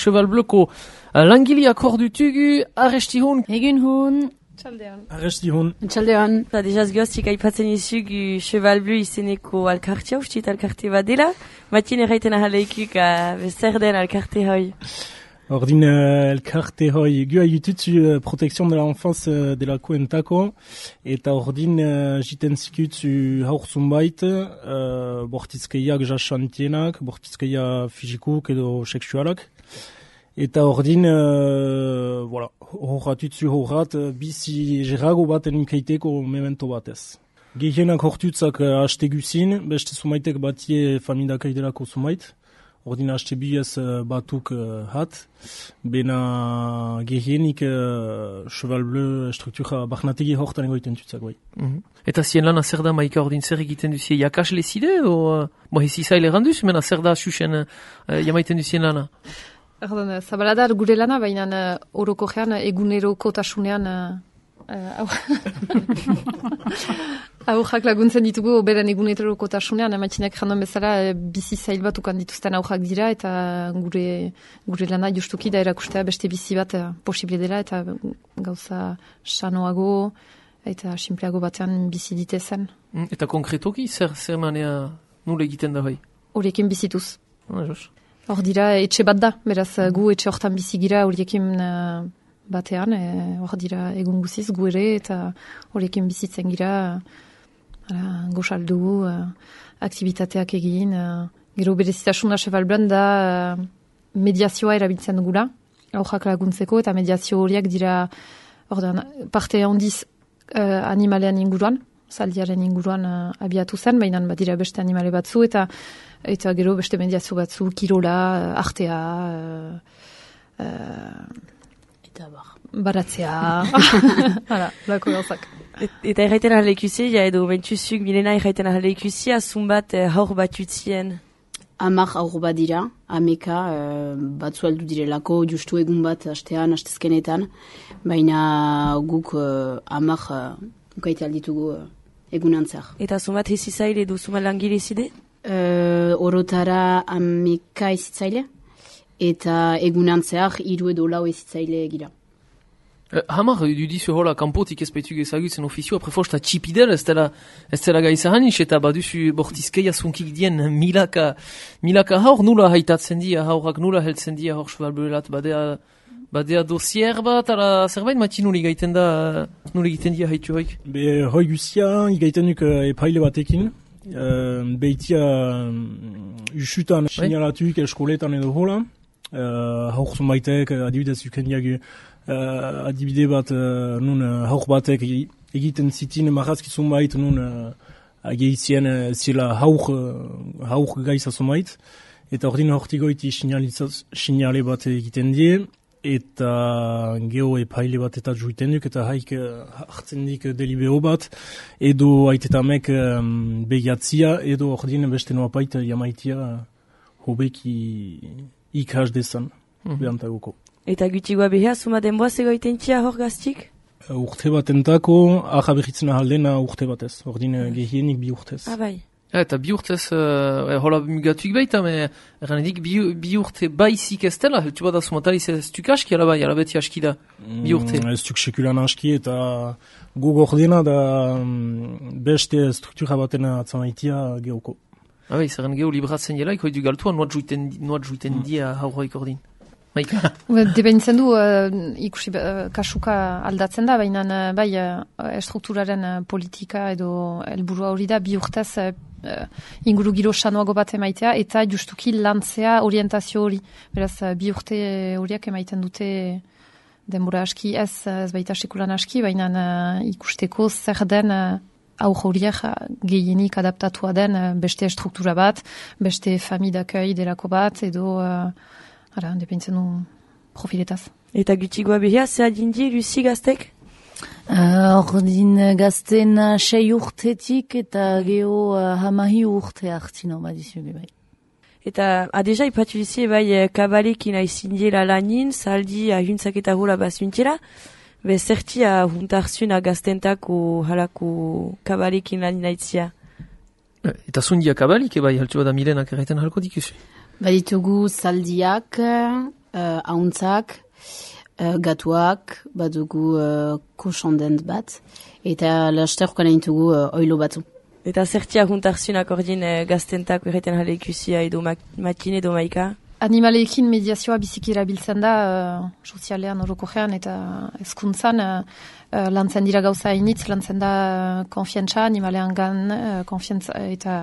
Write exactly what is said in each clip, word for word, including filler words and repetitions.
Cheval Bleuko langileak hor dutugu, arresti hon. Egun hon. Txaldean. Arresti hon. Txaldean. Eta dejaz goztik aipatzen izugu Cheval Bleu izeneko alkartea, ustit alkarte bat dela. Matien erraiten ahaleikuk zer den alkarte hoi. Ordin uh, elkarte hoi gu haitutzu uh, protection de l'enfance uh, delako entako, eta ordin uh, jiten zikutzu haur zumbait, uh, bortizkeiak jasantienak, bortizkeia fizikuk edo seksualak. Eta ordin, uh, voilà, horratutzu horrat, uh, bizi gerago baten unkeiteko memento batez. Gehienak hortutzak uh, haste guzin, beste zumaitek batie famidaka idelako zumait. Ordin haste biez uh, batuk uh, hat, bena gehienik uh, Cheval Bleu struktura barnategi hortan egoiten tutzak bai. Mm-hmm. Eta zien lana zer da maika ordin zer egiten duzie jakasle zide, o bo hezi zaile randuz, mena zer da xuxen uh, jamaiten duzien lana? Erdon, zabalada gure lana, baina uh, oroko gean egunero kotasunean uh, aurrak laguntzen ditugu beren egunero kotasunean, matxinak jandon bezala bizi zail bat ukan dituzten aurrak dira, eta gure, gure lana justuki da erakustea beste bizi bat uh, posible dela, eta gauza sanoago eta simpleago batean bizi ditezen. Mm, eta konkretoki zer, zer manea nule egiten da bai? Horiekin bizituz. Ah, jos. Hor dira, etxe bat da, beraz gu etxe hortan bizigira horiekin uh, batean, hor e, dira egun guziz gu ere, eta horiekin bizitzen gira, uh, goxaldu, uh, aktivitateak egin, uh, gero berezitasuna Cheval Bleu da uh, mediazioa erabiltzen dugula, aurrak laguntzeko, eta mediazio horiek dira, ordan, parte handiz uh, animalean inguruan, zaldiaren inguruan uh, abiatu zen, baina badira beste animale batzu, eta eta gero beste mediazio batzu, kirola, artea, uh, uh, eta bar. Baratzea, hala, lako gauzak. Et, eta erraiten ahaleikusi, ja edo bentsuzuk milena erraiten ahaleikusi, azun bat uh, haur bat utzien. Amak haur bat dira, ameka, uh, batzu aldu direlako, justu egun bat hastean, hastezkenetan, baina guk uh, amak uh, ukaite alditugu uh, egunan zer. Eta azun bat hezi zaile edo zuma langile zide? Uh, orotara ameka ezitzaile, eta egunan zehar hiru edo lau ezitzaile gira. Uh, hamar, dudizu hola, kanpotik ezpaitu ezagutzen ofizio, apre fosta txipidel, ez dela, ez dela gaizahanis, eta baduzu bortizkeia zunkik dien milaka, milaka haur nula haitatzen dia, haurak nula heltzen dia, haur Cheval Bleuelat, badea, badea dosier bat, ala zerbait mati nuli gaiten da, nuli gaiten dia haitu hoik? Be, hoi guzia, igaiten duk uh, epaile batekin, uh, behitia uh, usutan sinalatuk eskoletan edo hola, uh, haur zumbaitek, uh, adibidez uken diagu, Uh, adibide bat uh, nun uh, haur batek egiten zitin marrazki zumbait nun uh, ageizien uh, zela haur, uh, haur gaiza zumbait, eta ordin hortigoiti sinale bat egiten die, eta geho epaile bat eta juiten duk, eta haik uh, hartzen dik delibero bat, edo aitetamek um, begiatzia, edo ordin beste noapait jamaitia uh, hobeki ikas desan, mm-hmm. Behantaguko. Eta gutigoa behar, zuma denboaz egoiten txia hor gaztik? Uh, urte bat entako, aha behitzen ahaldena urte batez, ordin uh, gehienik bi urtez. Ah, bai. Eta bi urtez, uh, hola mugatuik baita, me erranedik bi, bi urte baizik ez dela, heltu bada sumataliz ez tuk aski, ala bai, ala beti aski da, bi urte. Mm, ez tuk sekulan aski, eta guk ordena da um, beste struktura baten atzamaitia geoko. Ah, bai, zerren geho libratzen jela, iko edu galtua, nuat juiten, nuat juiten mm. dia haurroik ordin. Debentzen du, uh, ikusi uh, kasuka aldatzen da, baina uh, bai uh, estrukturaren uh, politika edo helburua hori da, bi urtez uh, inguru giro sanoago bat emaitea, eta justuki lantzea orientazio hori. Beraz, uh, bi urte horiak emaiten dute denbora aski, ez, ez baita sekulan aski, baina uh, ikusteko zer den uh, aur horiek uh, gehienik adaptatua den uh, beste struktura bat, beste famidakei delako bat, edo... Uh, Hala, depintzen du profiletaz. Eta gutigoa behar, zer adindi, Lucy gaztek? Ordin uh, gazten uh, sei urtetik eta geho uh, hamahi urte hartzino badizuge bai. Eta adeja ipatu dizi bai kabalekin aizindiela lanin, saldi ahuntzak eta hula bazuntela, be zerti ahuntarzun gaztentako halako kabalekin lanin aitzia. Eta zundia kabalik, bai, haltu bada milenak erraiten halko dikuzu? Baditugu zaldiak, uh, ahuntzak, uh, gatuak, badugu uh, kosondent bat, eta lasterrokan egin dugu uh, oilo batzu. Eta zertia juntarzunak ordin eh, gaztentak erreten jale ikusia edo mak matine edo maika? Animaleekin mediazioa biziki erabiltzen da uh, sozialean orokorrean eta hezkuntzan uh, uh, lantzen dira gauza initz, lantzen da uh, konfiantza animalean gan, uh, konfiantza eta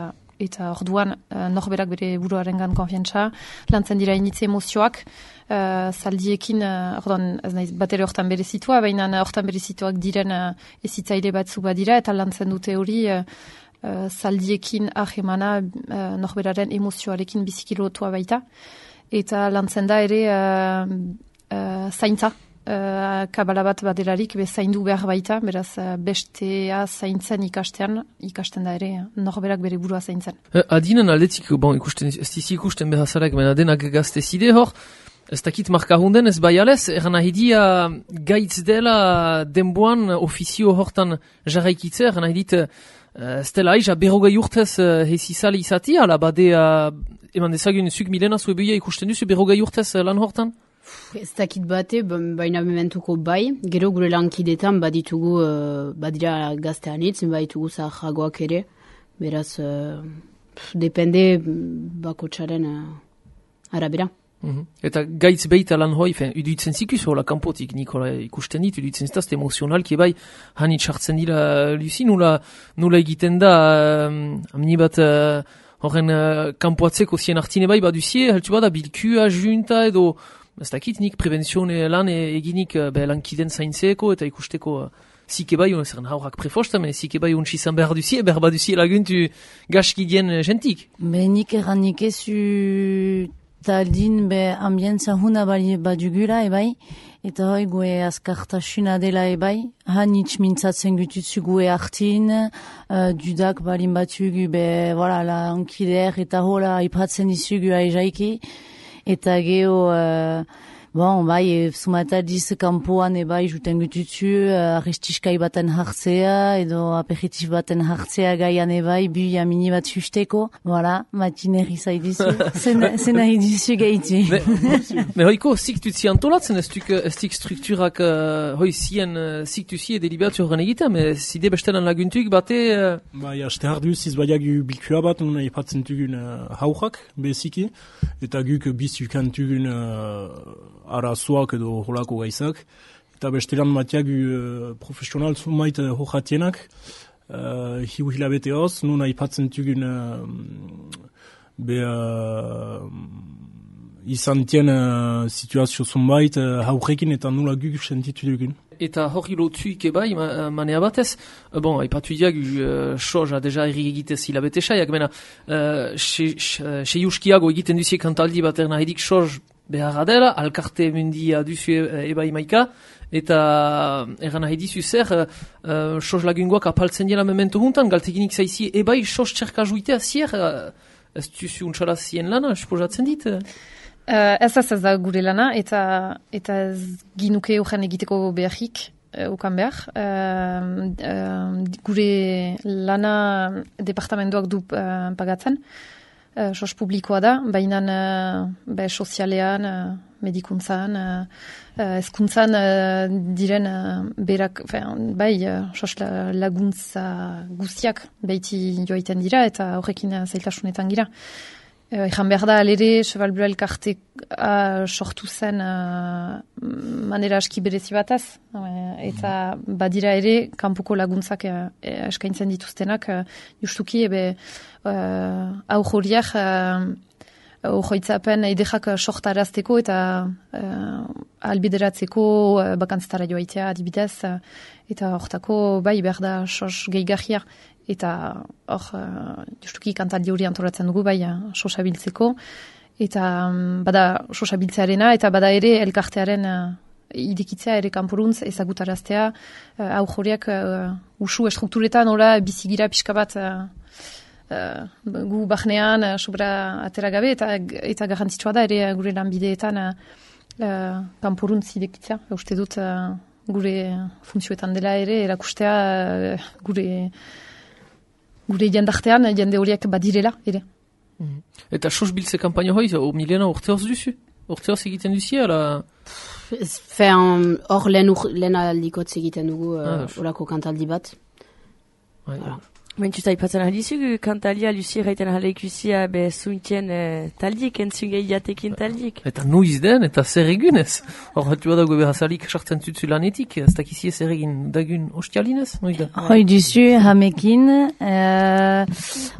eta orduan uh, norberak bere buruaren gan konfiantza, lantzen dira initz emozioak, uh, zaldiekin, uh, orduan ez naiz bat ere hortan berezitua, baina hortan berezituak diren uh, ezitzaile batzu badira eta lantzen dute hori uh, Uh, zaldiekin ahemana uh, norberaren emozioarekin biziki lotua baita. Eta lantzen da ere uh, uh, zaintza. Uh, kabala bat badelarik be zaindu behar baita, beraz uh, bestea zaintzen ikastean, ikasten da ere norberak bere burua zaintzen. Uh, adinen aldetik, bon, ikusten, ez dizi ikusten behazarek, baina denak gazte zide hor, ez dakit markahunden ez bai alez, eran ahidia gaitz dela denboan ofizio hortan jarraikitze, eran ahidit ez dela aiza berrogei urtez uh, hezizale izati, ala bade uh, eman dezagun zuk milena zuebuia ikusten duzu berrogei urtez uh, lan hortan? Ez dakit bate, baina mementuko bai, gero gure lankidetan baditugu, uh, badira gazteanitz, baditugu zahagoak ere, beraz, uh, depende bakotxaren uh, arabera. Mm-hmm. Eta gaitz beita lan hoi, fen, uduitzen zikuz hola kanpotik, Nikola ikusten dit, uduitzen zitazte emozionalki bai, hanit sartzen dira Lucy, nula, nula egiten da, um, amni bat uh, horren uh, kanpoatzeko zien artine bai, baduzie, heltu bada bilkua, junta edo, ez dakit nik prebenzione lan eginik uh, be, lankiden zaintzeko eta ikusteko uh, zike bai, zerren haurrak prefosta, men zike bai untsi izan behar duzie, behar baduzie laguntu gaskidien uh, jentik. Be nik erranik ezu taldin be ambientza huna bali badugula ebai, eta hoi gue askartasuna dela ebai, hanitz mintzatzen gututzu gue hartin, uh, dudak balin batugu be, voilà, la ankider eta hola ipatzen izugu aizaiki, eta geho, uh, bon, bai, sumataldiz kampoan ebai juten gututzu, uh, arrestiskai baten hartzea, edo aperitif baten hartzea gaian ebai, buia mini bat susteko, voilà, matineri zaidizu, zen nahi dizu gaitu. Me hoiko, ziktuzi antolatzen, ez dik strukturak, uh, hoi zien, uh, ziktuzi edelibatu horren egiten, me zide bestelan laguntuk bate... Uh... Bai, aste harduz, izbaiak gu bilkua bat, nuna ipatzen tugun uh, haurrak, beziki, eta guk bizukantugun uh, arazoak edo holako gaizak. Eta bestelan matiak uh, profesional zumait uh, hojatienak, uh, hiu hilabete hoz, nuna ipatzen tugun uh, be uh, izan tien uh, situazio zumait uh, haurrekin eta nula guk sentitu dugun. Eta hori lotuik ebai, ma, manea batez, bon, haipatu diag, uh, soja deja erri egitez hilabete saiak, mena, uh, se juskiago egiten duzie kantaldi bat erna edik soj beharra dela, alkarte mundia duzu ebai maika, eta erran nahi dizu zer, uh, soj lagungoak apaltzen dela memento juntan, galteginik zaizi ebai soj txerka juitea zier, uh, ez duzu untxala zien lana, esposatzen dit? Uh, ez ez ez da gure lana, eta, eta ez ginuke horren egiteko beharrik, uh, ukan behar. Uh, uh, gure lana departamentoak du uh, pagatzen, uh, sos publikoa da, baina uh, be, sozialean, uh, medikuntzan, uh, ezkuntzan uh, diren uh, berak, fean, bai, uh, sos la, laguntza guztiak behiti joaiten dira, eta horrekin uh, zailtasunetan gira. Ejan behar da, alere, Cheval Bleu elkarte uh, sortu zen uh, manera aski berezi bataz. Uh, eta badira ere, kanpoko laguntzak uh, eskaintzen dituztenak, uh, justuki, ebe, uh, hau joriak, uh, hoitzapen edekak sortarazteko eta uh, albideratzeko uh, bakantzetara joaitea adibidez. Uh, eta hortako, bai, behar da, sos gehigarria. Eta hor, uh, justuki kantaldi hori antolatzen dugu, bai, uh, sosabiltzeko. Eta um, bada sosabiltzearena, eta bada ere elkartearen uh, idekitzea ere kanporuntz ezagutaraztea, uh, hau joriak uh, usu estrukturetan, ora bizigira pixka bat uh, uh, gu bahnean, uh, sobra atera gabe, eta, eta garrantzitsua da ere gure lanbideetan uh, uh, kanporuntz idekitzea. Uste dut uh, gure funtzioetan dela ere, erakustea uh, gure... gure jendartean, jende horiek badirela, ere. Mm. Eta sos biltze kampaino hoi, o milena urte hoz duzu? Urteoz egiten duzie, ala... Fen, hor lehen, ur, lehen aldikotz egiten dugu Ah, uh, orako kantaldi bat. Bai, Voilà. Mentuz aipatzen ahalizugu, kantalia Lucie gaiten ahaleikusia be zuntien eh, taldik, entzungei jatekin taldik. Eta nuiz den, eta zer egunez. Hor, hatu badago behazalik sartzen zutzu lanetik, ez dakizie zer egin dagun ostialinez, noiz da? Hoi duzu, hamekin, uh,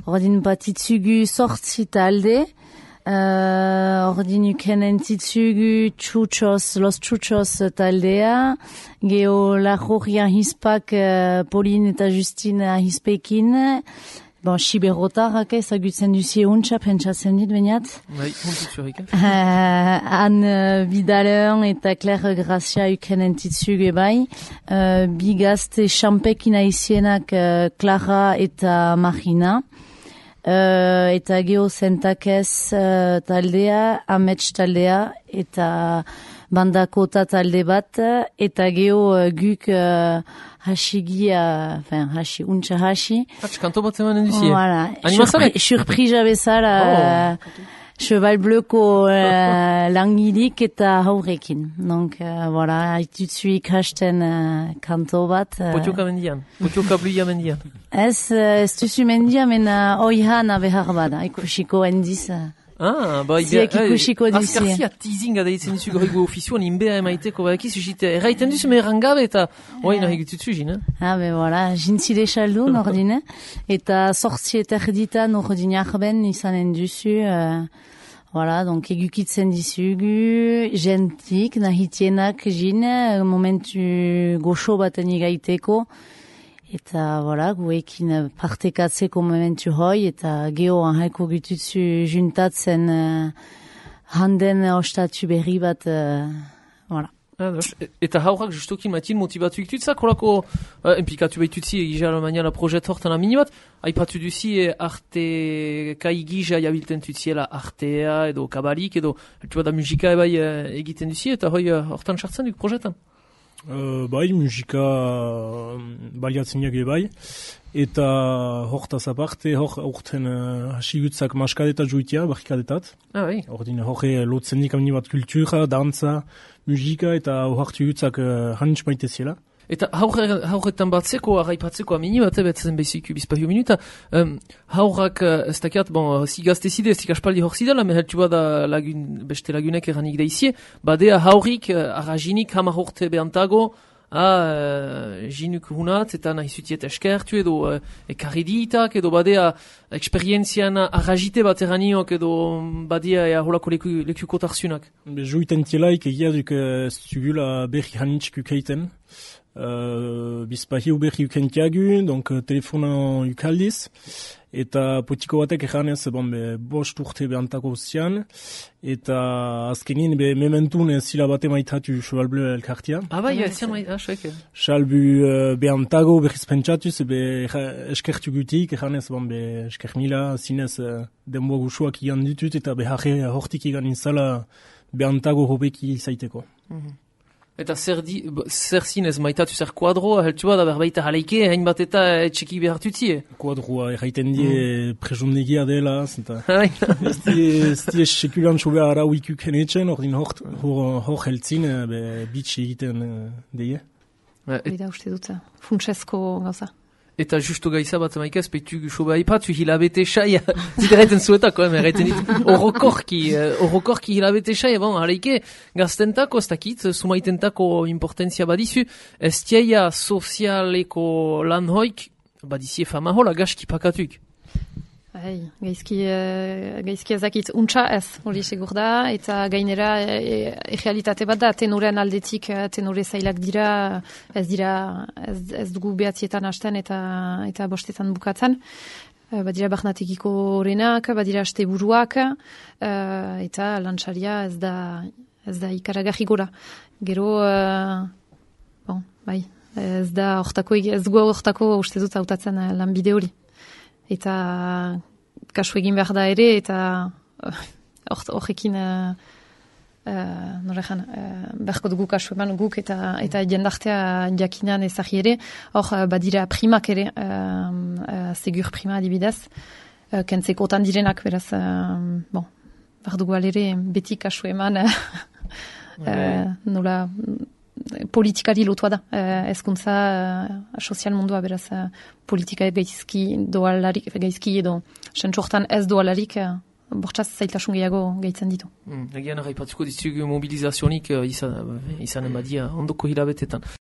ordin batitzugu sortzi talde, uh, ordin uken entitzugu txutxoz, los txutxoz taldea, geho lajorria hispak uh, Pauline eta Justine hispekin, bon, siberotarrak ezagutzen duzie untxa, pentsatzen dit, bainat. Bai, hontut zurrik, eh? Uh, Anne Vidalen eta Claire Gracia uken entitzugu bai. Uh, Bigazte champekina izienak uh, Clara eta Marina. Uh, eta geho zentakez uh, taldea, amets taldea, eta bandakota talde bat, eta geho uh, guk uh, hasigia, enfin, hasi, untxa hasi. Hatz, kanto bat zemanen duzie. Voilà. Animazalek? Surpri- Surprisa bezala, uh, Cheval Bleuko uh, langilik eta haurekin. Donc, uh, voilà, haitutzu ikasten uh, kanto bat. Uh, Potioka mendian, potioka bluia mendian. Ez, uh, ez duzu mendia, mena oihana behar bada, ikusiko endiz. Uh, Ah, bai, Ziek ikusiko duzie. Azkarzia teasinga deitzen duzu gorrigo ofizioan inbea emaiteko, badakiz, usite, erraiten duzu meheran gabe eta oain nahi gututzu zin, eh? ah, be, voilà, jintzile xaldu, nordine. Eta sortzi eta erditan ordin arben izanen duzu, uh, voilà, donc egukitzen dizugu, jentik, nahitienak jin, momentu goxo baten igaiteko. Eta, voilà, guekin partekatzeko momentu hoi, eta geho anhaiko gututzu juntatzen uh, handen ostatu berri bat, uh, voilà. Ados. Eta haurak justokin matin motivatu iktutzak, horako uh, implikatu behitutzi egizia Alemania la projet hortan amini bat, aipatu duzi eh, arte kai gija jabilten tutziela artea edo kabalik edo eltu bada musika ebai eh, egiten duzi eta hoi uh, hortan sartzen duk projetan. Uh, bai, musika uh, baliatzen jage bai, eta hortaz aparte, hor aurten uh, hasigutzak maskadeta juitia, barrikadetat. Ah, bai. Ordin horre lotzen dik amini bat kultura, dantza, musika, eta hortu gutzak uh, hanitz maite ziela. Eta haurre, haurretan batzeko, arraipatzeko amini bat, betzen bezik bizpahio minuta, um, haurrak, uh, ez dakiat, bon, si gaztezide, ez ikaspaldi hor zidala, meheltu bada lagun, beste lagunek eranik daizie, badea haurrik, uh, arrajinik hamar horte behantago, a uh, jinuk hunat, eta nahi zutiet eskertu edo uh, ekarri ditak, edo badea eksperientzian arrajite bat eraniok, edo badea ea holako leku, lekuko tarzunak. Be, juiten tielaik egia duk ez dugula berri hanitz kukeiten. Uh, bizpahiu berri ukentiagu, donc uh, telefonan ukaldiz, eta potiko batek ejanez, bon, be, bost urte behantako zian, eta azkenin, be, mementun zila bate maitatu Cheval Bleu elkartia. Ah, bai, ez zian maita, ah, soeke. Salbu uh, behantago berriz pentsatuz, be, eskertu gutik, ejanez, bon, be, esker mila, zinez, uh, denboa gusuak igan ditut, eta beharre hortik igan inzala behantago hobeki zaiteko. Mm-hmm. Eta zer, di, zer zinez maitatu zer kuadroa, heltua da berbaita jaleike, hain bat eta etxeki behartutzie. Kuadroa erraiten die mm. presondegia dela, eta ez die sekulan sobea arau ikuken etxen, ordin hor heltzin, bitx egiten deie. Bida uste dut, funtsesko gauza. Eta justo gaiza bat maikaz, petu soba ipatu hilabete saia, ziderraiten zuetako, erraiten dit, orokorki, orokorki hilabete saia, bon, haleike, gaztentako, ez dakit, sumaitentako importantzia badizu, ez tiaia sozialeko lan hoik, badizie fama hola, gaski pakatuk. Hai, gaizki, uh, gaizki ezakit untxa ez, hori segur da, eta gainera errealitate bat da, tenoren aldetik, tenore zailak dira, ez dira, ez, ez dugu behatzietan hasten eta eta bostetan bukatzen. Uh, badira barnatekiko horrenak, badira asteburuak, uh, eta lantxaria ez da, ez da ikaragarri gora. Gero, uh, bon, bai, ez da hortako, ez dugu hortako uste dut hautatzen uh, lanbide hori. Eta kasu egin behar da ere, eta horrekin uh, uh, norejan, uh, beharko dugu kasu eman guk, eta, eta jendartea jakinan ezagi ere, hor uh, badira primak ere, uh, uh, segur prima adibidez, uh, kentzeko otan direnak, beraz, uh, bon, bardugu alere beti kasu eman uh, nola politikari lotua da. Uh, ezkuntza uh, sozial mundua beraz uh, politika gaizki doalarik, gaizki edo sentsortan ez doalarik uh, bortxaz zailtasun gehiago gaitzen ditu. Mm, egian arraipatuko dizugu mobilizazionik uh, izan, uh, izan emadia ondoko hilabetetan.